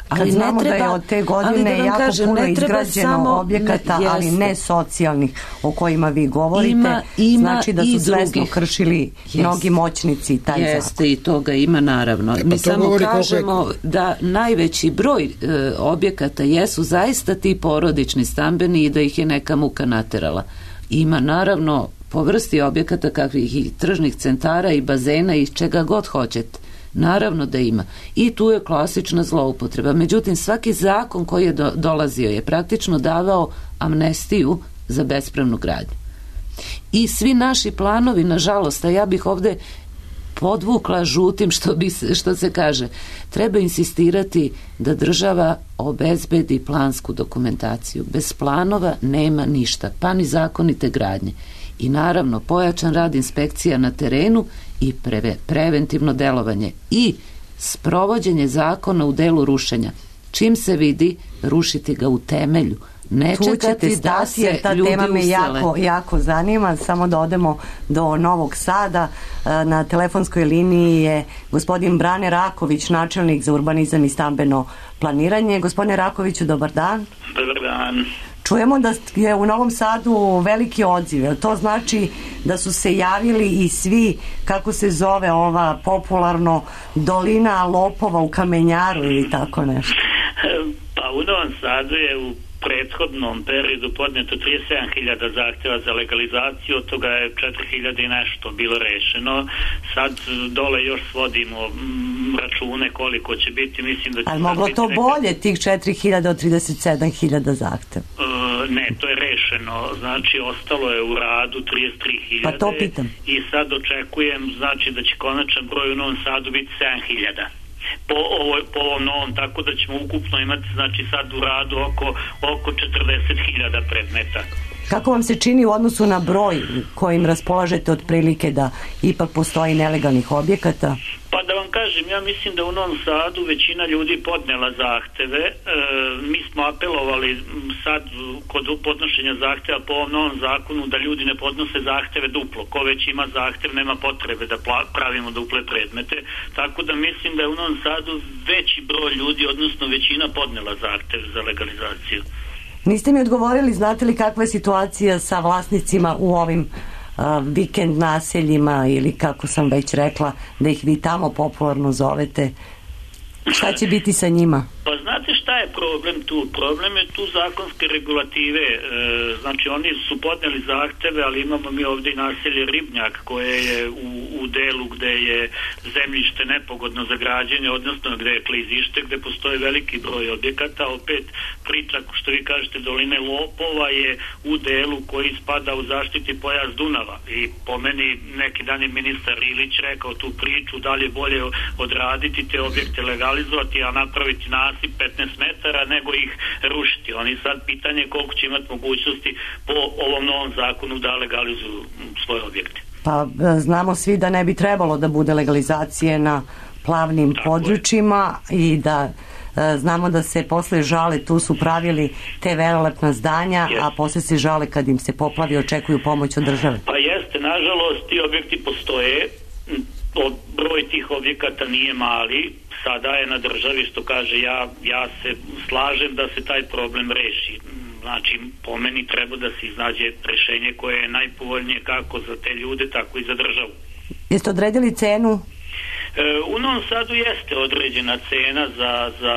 Kad znamo da je od te godine jako puno izgrađeno objekata, ali ne socijalnih o kojima vi govorite, znači da su svesno kršili mnogi moćnici taj zakon. Jeste, i toga ima naravno. Mi samo kažemo da najveći broj objekata jesu zaista ti porodični stambeni i da ih je neka muka naterala. Ima naravno po vrsti objekata kakvih i tržnih centara i bazena i čega god hoćete. Naravno da ima. I tu je klasična zloupotreba. Međutim, svaki zakon koji je dolazio je praktično davao amnestiju za bespravnu gradnju. I svi naši planovi, nažalost, a ja bih ovde podvukla žutim što se kaže, treba insistirati da država obezbedi plansku dokumentaciju. Bez planova nema ništa, pa ni zakonite gradnje. I naravno pojačan rad inspekcija na terenu i preventivno delovanje i sprovođenje zakona u delu rušenja. Čim se vidi, rušiti ga u temelju. Ne čekati da se ljudi usele. Ta tema me jako zanima. Samo da odemo do Novog Sada. Na telefonskoj liniji je gospodin Brane Raković, načelnik za urbanizam i stambeno planiranje. Gospodine Rakoviću, dobar dan. Dobar dan. Čujemo da je u Novom Sadu veliki odziv. To znači da su se javili i svi, kako se zove ova popularno dolina lopova u Kamenjaru ili tako nešto? Pa u Novom Sadu je u prethodnom periodu podneto 37.000 zahtjeva za legalizaciju, od toga je 4.000 i nešto bilo rešeno. Sad dole još svodimo račune koliko će biti, mislim da će... Ali moglo to bolje, tih 4.000 od 37.000 zahtjeva? Ne, to je rešeno, znači ostalo je u radu 33.000. Pa to pitam. I sad očekujem, znači da će konačan broj u Novom Sadu biti 7.000 po ovom novom, tako da ćemo ukupno imati, znači sad u radu oko 40.000 predmeta. Kako vam se čini u odnosu na broj kojim raspolažete otprilike da ipak postoji nelegalnih objekata? Pa da vam kažem, ja mislim da u Novom Sadu većina ljudi podnela zahteve. Mi smo apelovali sad kod podnošenja zahteva po ovom novom zakonu da ljudi ne podnose zahteve duplo. Ko već ima zahtev, nema potrebe da pravimo duple predmete. Tako da mislim da je u Novom Sadu veći broj ljudi, odnosno većina podnela zahtev za legalizaciju. Niste mi odgovorili, znate li kakva je situacija sa vlasnicima u ovim vikend naseljima ili kako sam već rekla da ih vi tamo popularno zovete? Šta će biti sa njima? Pa znate šta je problem tu? Problem je tu zakonske regulative. Znači oni su podneli zahteve, ali imamo mi ovdje i naselje Ribnjak koje je u delu gde je zemljište nepogodno za građenje, odnosno gde je klizište, gde postoji veliki broj objekata. Opet priča, što vi kažete, doline Lopova je u delu koji spada u zaštiti pojas Dunava. I po meni neki dan je ministar Ilić rekao tu priču, da li je bolje odraditi te objekte, legalizovati, a napraviti nasip 15 metara nego ih rušiti. Oni sad pitanje koliko će imati mogućnosti po ovom novom zakonu da legalizuju svoje objekte. Pa znamo svi da ne bi trebalo da bude legalizacije na plavnim područjima i da znamo da se posle žale, tu su pravili te velelepna zdanja, a posle se žale kad im se poplavi, očekuju pomoć od države. Pa jeste, nažalost ti objekti postoje, broj tih objekata nije mali, sada je na državi, što kaže, ja se slažem da se taj problem reši. Znači, po meni treba da se iznađe rešenje koje je najpovoljnije kako za te ljude, tako i za državu. Jeste odredili cenu? U Novom Sadu jeste određena cena za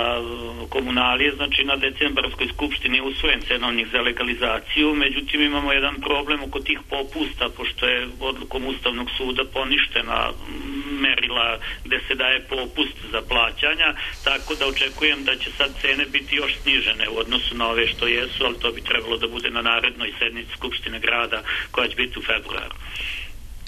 komunalije, znači na decembarskoj skupštini je usvojen cenovnik za legalizaciju, međutim imamo jedan problem oko tih popusta, pošto je odlukom Ustavnog suda poništena merila gde se daje popust za plaćanja, tako da očekujem da će sad cene biti još snižene u odnosu na ove što jesu, ali to bi trebalo da bude na narednoj sednici Skupštine grada koja će biti u februaru.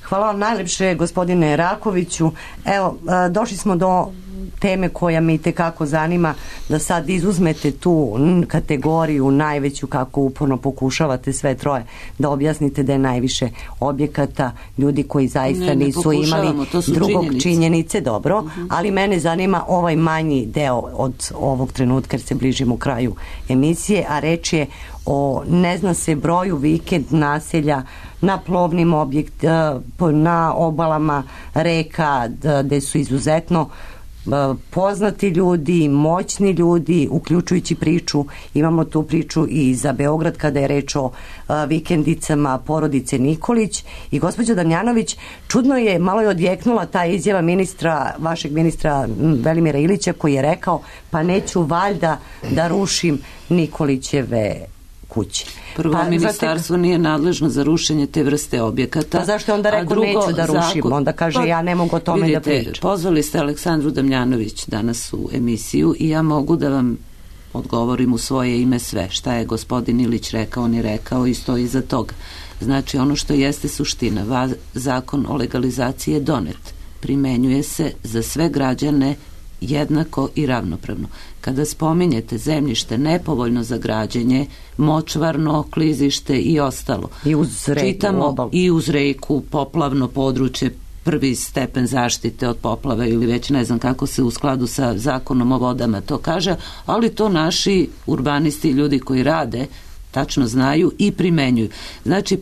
Hvala vam najlepše, gospodine Rakoviću. Evo, došli smo do teme koja me itekako zanima, da sad izuzmete tu kategoriju najveću, kako uporno pokušavate sve troje da objasnite da je najviše objekata, ljudi koji zaista nisu imali drugog činjenice, dobro, ali mene zanima ovaj manji deo od ovog trenutka jer se bližimo kraju emisije, a reč je o ne zna se broju vikend naselja na plovnim na obalama reka gde su izuzetno poznati ljudi, moćni ljudi, uključujući priču, imamo tu priču i za Beograd kada je reč o vikendicama porodice Nikolić. I gospođa Damjanović, čudno je, malo je odjeknula ta izjava vašeg ministra Velimira Ilića koji je rekao, pa neću valjda da rušim Nikolićeve kuće. Prvo, ministarstvo nije nadležno za rušenje te vrste objekata. Pa zašto onda rekao neću da rušim? Onda kaže ja ne mogu o tome da pričam. Pozvali ste Aleksandru Damjanović danas u emisiju i ja mogu da vam odgovorim u svoje ime sve. Šta je gospodin Ilić rekao, on je rekao i stoji iza toga. Znači ono što jeste suština, zakon o legalizaciji je donet. Primenjuje se za sve građane jednako i ravnopravno. Kada spominjete zemljište nepovoljno za građenje, močvarno, klizište i ostalo, i uz reku, čitamo i uz reku, poplavno područje, prvi stepen zaštite od poplave ili već ne znam kako se u skladu sa zakonom o vodama to kaže, ali to naši urbanisti i ljudi koji rade tačno znaju i primenjuju. Znači,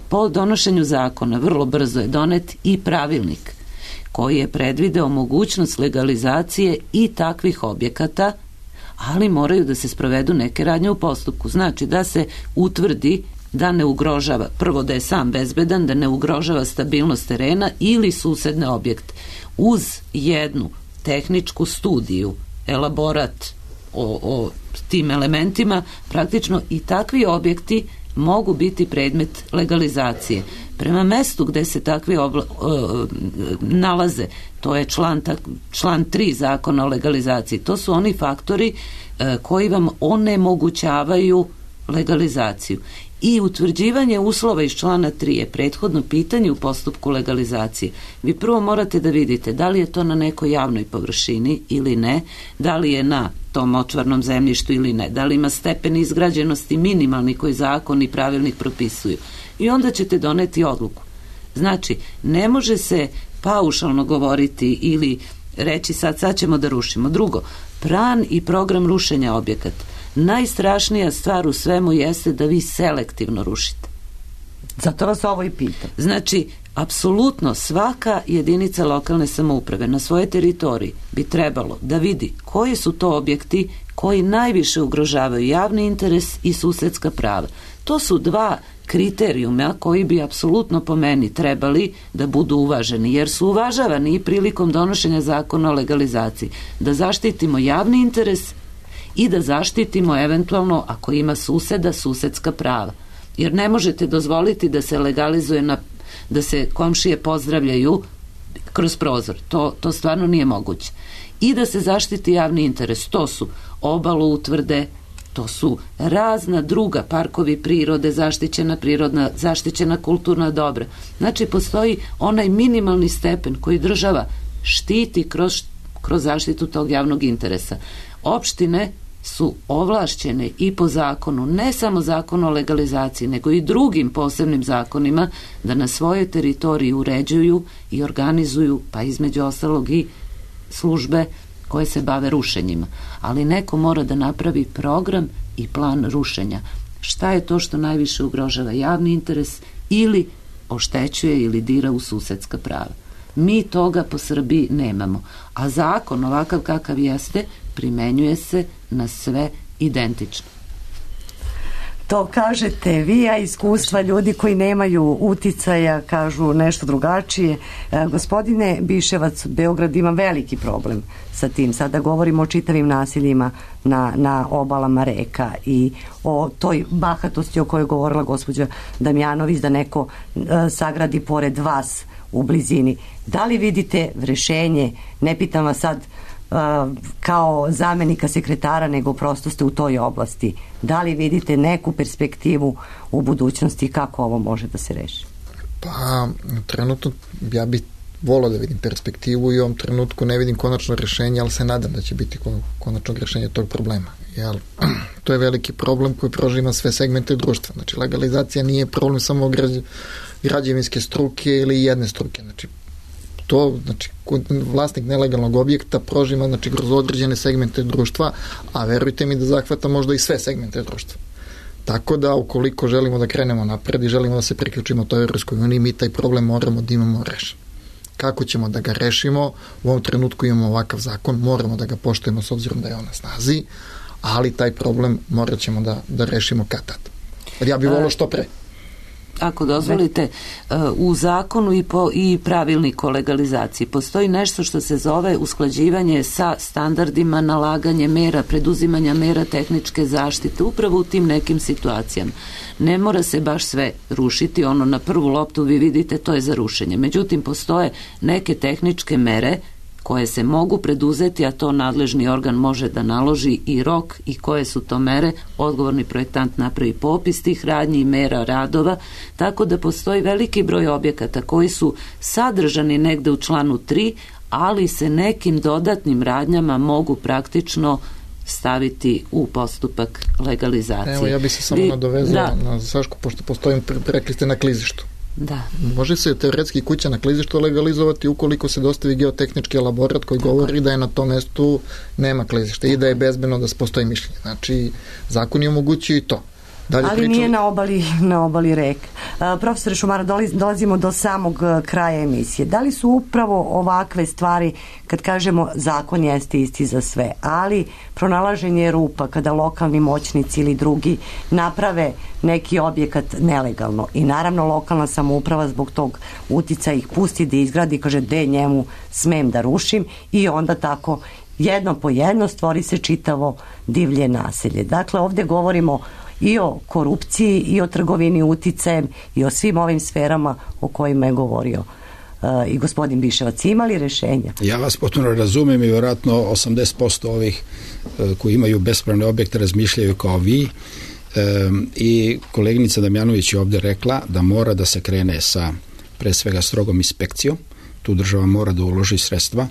po donošenju zakona vrlo brzo je donet i pravilnik koji je predvideo mogućnost legalizacije i takvih objekata, ali moraju da se sprovedu neke radnje u postupku. Znači da se utvrdi da ne ugrožava, prvo da je sam bezbedan, da ne ugrožava stabilnost terena ili susedne objekte. Uz jednu tehničku studiju, elaborat o tim elementima, praktično i takvi objekti mogu biti predmet legalizacije. Prema mestu gde se takvi nalaze, to je član 3 zakona o legalizaciji, to su oni faktori koji vam onemogućavaju legalizaciju. I utvrđivanje uslova iz člana 3 je prethodno pitanje u postupku legalizacije. Vi prvo morate da vidite da li je to na nekoj javnoj površini ili ne, da li je na tom močvarnom zemljištu ili ne, da li ima stepen izgrađenosti minimalni koji zakon i pravilnik propisuju. I onda ćete doneti odluku. Znači, ne može se paušalno govoriti ili reći sad ćemo da rušimo. Drugo, plan i program rušenja objekata. Najstrašnija stvar u svemu jeste da vi selektivno rušite. Zato vas ovo i pitam. Znači, apsolutno svaka jedinica lokalne samouprave na svojoj teritoriji bi trebalo da vidi koji su to objekti koji najviše ugrožavaju javni interes i susedska prava. To su dva kriterijuma koji bi apsolutno po meni trebali da budu uvaženi, jer su uvažavani i prilikom donošenja zakona o legalizaciji. Da zaštitimo javni interes i da zaštitimo eventualno, ako ima suseda, susedska prava. Jer ne možete dozvoliti da se legalizuje da se komšije pozdravljaju kroz prozor. To stvarno nije moguće. I da se zaštiti javni interes. To su obalu utvrde, to su razna druga, parkovi prirode, zaštićena prirodna, zaštićena kulturna dobra. Znači, postoji onaj minimalni stepen koji država štiti kroz zaštitu tog javnog interesa. Opštine su ovlašćene i po zakonu, ne samo zakonu o legalizaciji, nego i drugim posebnim zakonima, da na svojoj teritoriji uređuju i organizuju, pa između ostalog i službe koje se bave rušenjima. Ali neko mora da napravi program i plan rušenja. Šta je to što najviše ugrožava javni interes ili oštećuje ili dira u susedska prava? Mi toga po Srbiji nemamo. A zakon, ovakav kakav jeste, primenjuje se na sve identično. To kažete vi, a iskustva ljudi koji nemaju uticaja kažu nešto drugačije. Gospodine Biševac, Beograd ima veliki problem sa tim. Sada govorimo o čitavim naseljima na obalama reka i o toj bahatosti o kojoj je govorila gospođa Damjanović, da neko sagradi pored vas u blizini. Da li vidite rešenje, ne pitam vas sad kao zamenika sekretara, nego prosto ste u toj oblasti. Da li vidite neku perspektivu u budućnosti kako ovo može da se reši? Pa, trenutno ja bih volao da vidim perspektivu i u ovom trenutku ne vidim konačno rešenje, ali se nadam da će biti konačno rešenje tog problema. Jer to je veliki problem koji prožima sve segmente društva. Znači, legalizacija nije problem samo građevinske struke ili jedne struke. Znači, vlasnik nelegalnog objekta prožima, znači, kroz određene segmente društva, a verujte mi da zahvata možda i sve segmente društva. Tako da, ukoliko želimo da krenemo napred i želimo da se priključimo toj Evropskoj uniji, mi taj problem moramo da imamo rešen. Kako ćemo da ga rešimo? U ovom trenutku imamo ovakav zakon, moramo da ga poštujemo s obzirom da je on na snazi, ali taj problem morat ćemo da rešimo kad tad. Ja bih volao što pre. Ako dozvolite, u zakonu i pravilniku o legalizaciji postoji nešto što se zove usklađivanje sa standardima, nalaganje mera, preduzimanja mera tehničke zaštite, upravo u tim nekim situacijama. Ne mora se baš sve rušiti, ono na prvu loptu vi vidite to je za rušenje. Međutim, postoje neke tehničke mere koje se mogu preduzeti, a to nadležni organ može da naloži i rok i koje su to mere, odgovorni projektant napravi popis tih radnji i mera radova, tako da postoji veliki broj objekata koji su sadržani negde u članu 3, ali se nekim dodatnim radnjama mogu praktično staviti u postupak legalizacije. Evo, ja bih se samo nadovezao na Sašku, pošto postoji, rekli ste, na klizištu. Da. Može se teoretski kuća na klizištu legalizovati ukoliko se dostavi geotehnički elaborat koji govori da je na tom mestu nema klizišta i da je bezbedno da postoji mišljenje. Znači, zakon je omogućio i to. Ali nije na obali reka. Profesore Šumara, dolazimo do samog kraja emisije. Da li su upravo ovakve stvari, kad kažemo zakon jeste isti za sve, ali pronalaženje rupa kada lokalni moćnici ili drugi naprave neki objekat nelegalno i naravno lokalna samouprava zbog tog uticaja ih pusti da izgradi, kaže de njemu smem da rušim i onda tako jedno po jedno stvori se čitavo divlje naselje. Dakle, ovdje govorimo i o korupciji i o trgovini uticajem i o svim ovim sferama o kojima je govorio i gospodin Biševac. Ima li rešenja? Ja vas potpuno razumem i vjerojatno 80% ovih koji imaju bespravne objekte razmišljaju kao vi. I koleginica Damjanović je ovdje rekla da mora da se krene sa pre svega strogom inspekcijom, tu država mora da uloži sredstva,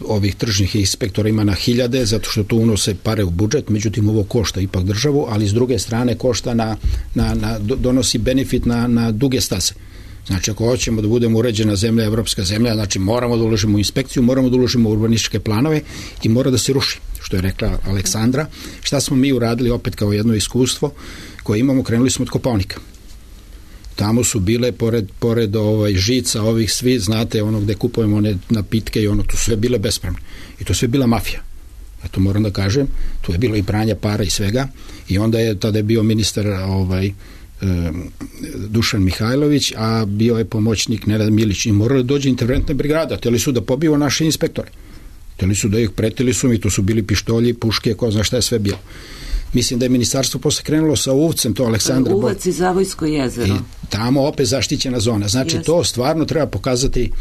ovih tržnih inspektora ima na hiljade, zato što tu unose pare u budžet, međutim ovo košta ipak državu, ali s druge strane košta donosi benefit na duge staze. Znači, ako hoćemo da budemo uređena zemlja, evropska zemlja, znači moramo da uložimo u inspekciju, moramo da uložimo u urbanističke planove i mora da se ruši, što je rekla Aleksandra. Šta smo mi uradili opet kao jedno iskustvo koje imamo, krenuli smo od Kopaonika. Tamo su bile, pored žica ovih svi, znate, ono gde kupujemo one napitke i ono, tu sve bile bespravne. I to sve bila mafija. Ja to moram da kažem, tu je bilo i pranja para i svega. I onda tada je bio ministar Dušan Mihajlović, a bio je pomoćnik Nenad Milić i morali dođe interventna brigada, htjeli su da pobiju naše inspektore. Htjeli su da ih pretili su mi, to su bili pištolji, puške, ko zna šta je sve bilo. Mislim da je ministarstvo posle krenulo sa Uvcem, to Aleksandra... Uvac i Zavojsko jezero. I tamo opet zaštićena zona. Znači, to stvarno treba pokazati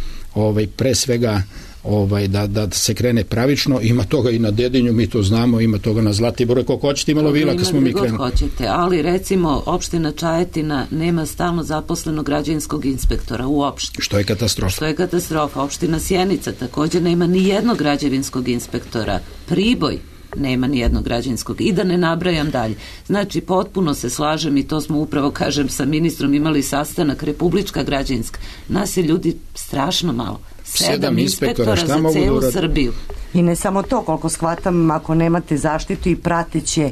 pre svega da se krene pravično. Ima toga i na Dedinju, mi to znamo, ima toga na Zlatiboru, koliko hoćete imalo vila kad smo mi krenuli. Hoćete, ali recimo opština Čajetina nema stalno zaposlenog građevinskog inspektora uopšte. Što je katastrofa. Opština Sjenica također nema ni jednog građevinskog inspektora. Priboj nema ni jednog građevinskog i da ne nabrajam dalje. Znači, potpuno se slažem i to smo upravo, kažem, sa ministrom imali sastanak, republička građevinska. Nas je ljudi strašno malo. 7 inspektora za celu Srbiju. I ne samo to, koliko shvatam, ako nemate zaštitu i prateće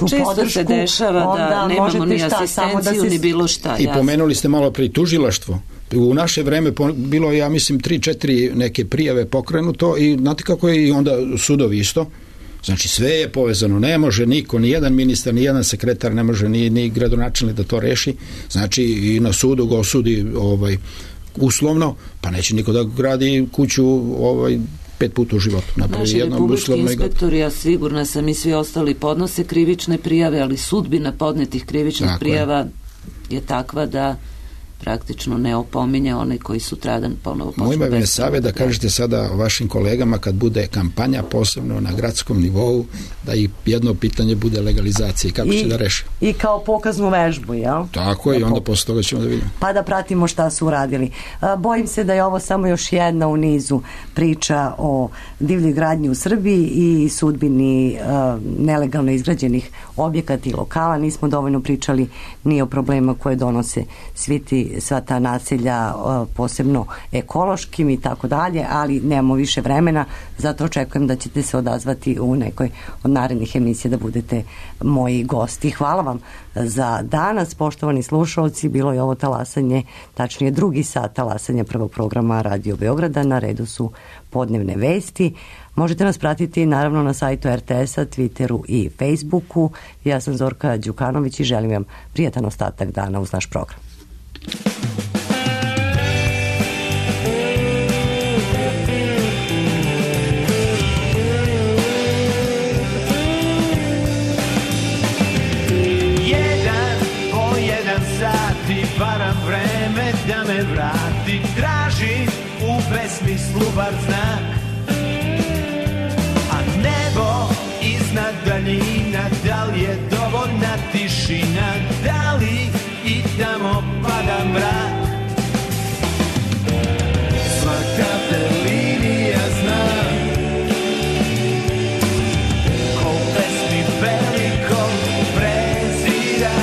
često se dešava da nemamo ni asistenciju ni bilo šta. I pomenuli ste malo pri tužilaštvo. U naše vreme bilo je, ja mislim, 3-4 neke prijave pokrenuto i znate kako je i onda sudovi isto. Znači, sve je povezano, ne može niko, ni jedan ministar, ni jedan sekretar, ne može ni gradonačelnik da to reši. Znači, i na sudu ga osudi uslovno, pa neće niko da gradi kuću 5 puta u životu. Naši republički inspektori, ja sigurna sam, i svi ostali podnose krivične prijave, ali sudbina podnetih krivičnih prijava je takva da praktično ne opominje one koji su tradan ponovo počnu. Moj me savjet da kažete sada vašim kolegama kad bude kampanja posebno na gradskom nivou da i jedno pitanje bude legalizacije. Kako će da reše? I kao pokaznu vežbu, jel? Tako je, i onda posle toga ćemo da vidimo. Pa da pratimo šta su uradili. Bojim se da je ovo samo još jedna u nizu priča o divljoj gradnji u Srbiji i sudbini nelegalno izgrađenih objekata i lokala. Nismo dovoljno pričali ni o problemima koje donose sva ta naselja, posebno ekološkim i tako dalje, ali nemamo više vremena, zato očekujem da ćete se odazvati u nekoj od narednih emisija da budete moji gosti. Hvala vam za danas, poštovani slušalci, bilo je ovo talasanje, tačnije drugi sat talasanja prvog programa Radio Beograda, na redu su podnevne vesti. Možete nas pratiti naravno na sajtu RTS-a, Twitteru i Facebooku. Ja sam Zorka Đukanović i želim vam prijatan ostatak dana uz naš program. Varam vreme da me vrati, tražim u besmislu bar znak, a nebo iznad daljina, da li je dovoljna tišina, da li i tamo pada mrak. Svaka te linija zna, ko u pesmi velikog prezira.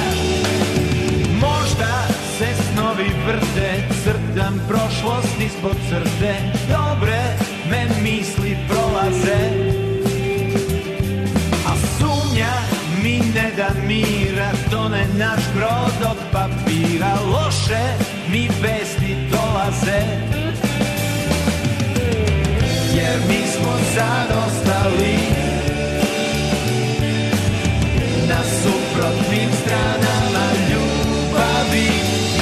Možda se snovi vrte, crtam prošlost ispod crte, dobre me misli prolaze, a sumnja mi ne da mira, tone naš brod od papira, loše mi vesti dolaze, jer mi smo sad ostali na suprotnim stranama ljubavi.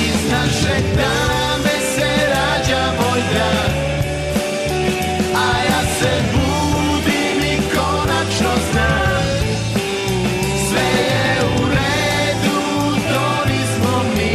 Iz naše tame se rađa moj drag, a ja se budim i konačno znam, sve je u redu, to nismo mi,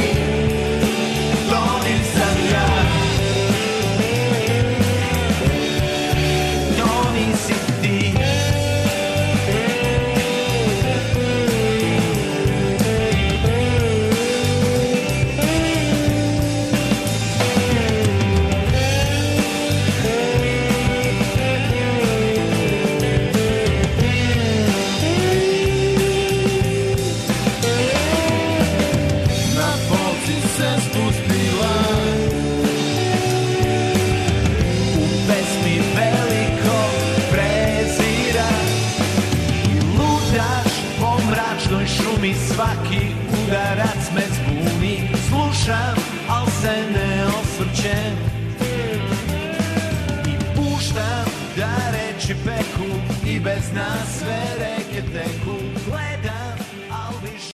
svaki udarac me zbuni. Slušam, al se ne osvrćem i puštam da reči peku i bez nas sve reke teku.